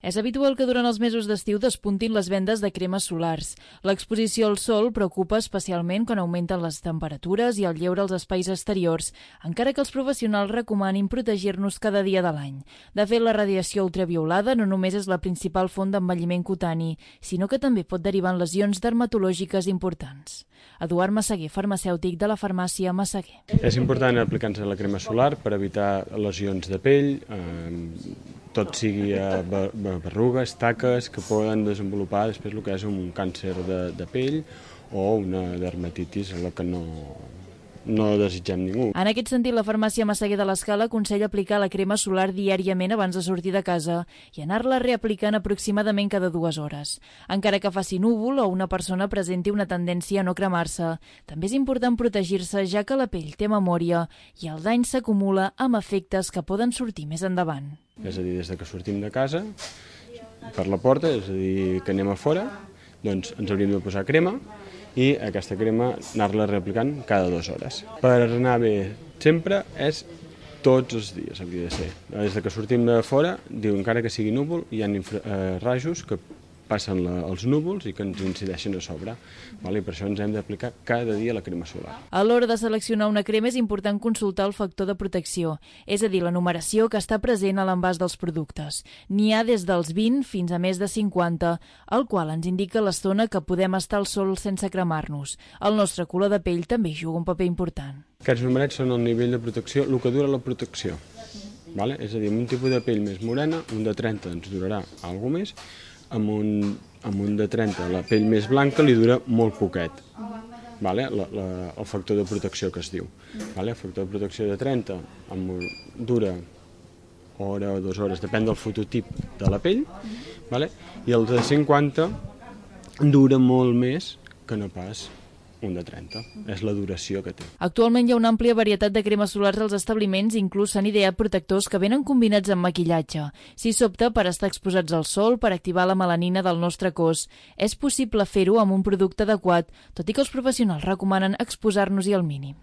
És habitual que durant els mesos d'estiu despuntin les vendes de cremes solars. L'exposició al sol preocupa especialment quan augmenten les temperatures i el lleure als espais exteriors, encara que els professionals recomanin protegir-nos cada dia de l'any. De fet, la radiació ultraviolada no només és la principal font d'envelliment cutani, sinó que també pot derivar en lesions dermatològiques importants. Eduard Massaguer, farmacèutic de la farmàcia Massaguer. És important aplicar-se la crema solar per evitar lesions de pell, tot sigui berrugues, taques, que poden desenvolupar després el que és un càncer de pell o una dermatitis, la que no desitgem ningú. En aquest sentit, la farmàcia Massaguer de l'Escala aconsella aplicar la crema solar diàriament abans de sortir de casa i anar-la reaplicant aproximadament cada 2 hores. Encara que faci núvol o una persona presenti una tendència a no cremar-se, també és important protegir-se, ja que la pell té memòria i el dany s'acumula amb efectes que poden sortir més endavant. És a dir, des que sortim de casa, per la porta, és a dir, que anem a fora, doncs ens hauríem de posar crema i aquesta crema anar-la reaplicant cada 2 hores. Per anar bé sempre és tots els dies, hauria de ser. Des que sortim de fora, diu, encara que sigui núvol, hi ha rajos que passen els núvols i que ens incideixen a sobre. I per això ens hem d'aplicar cada dia la crema solar. A l'hora de seleccionar una crema és important consultar el factor de protecció, és a dir, la numeració que està present a l'envàs dels productes. N'hi ha des dels 20 fins a més de 50, el qual ens indica l'estona que podem estar al sol sense cremar-nos. El nostre color de pell també juga un paper important. Aquests numerets són el nivell de protecció, el que dura la protecció. És a dir, amb un tipus de pell més morena, un de 30 ens durarà alguna més, amb un de 30 la pell més blanca li dura molt poquet, el factor de protecció que es diu. El factor de protecció de 30 dura hora o 2 hores, depèn del fototip de la pell, i el de 50 dura molt més que no pas un de 30. És la duració que té. Actualment hi ha una àmplia varietat de cremes solars als establiments, inclús s'han ideat protectors que venen combinats amb maquillatge. Si s'opta per estar exposats al sol, per activar la melanina del nostre cos, és possible fer-ho amb un producte adequat, tot i que els professionals recomanen exposar-nos-hi al mínim.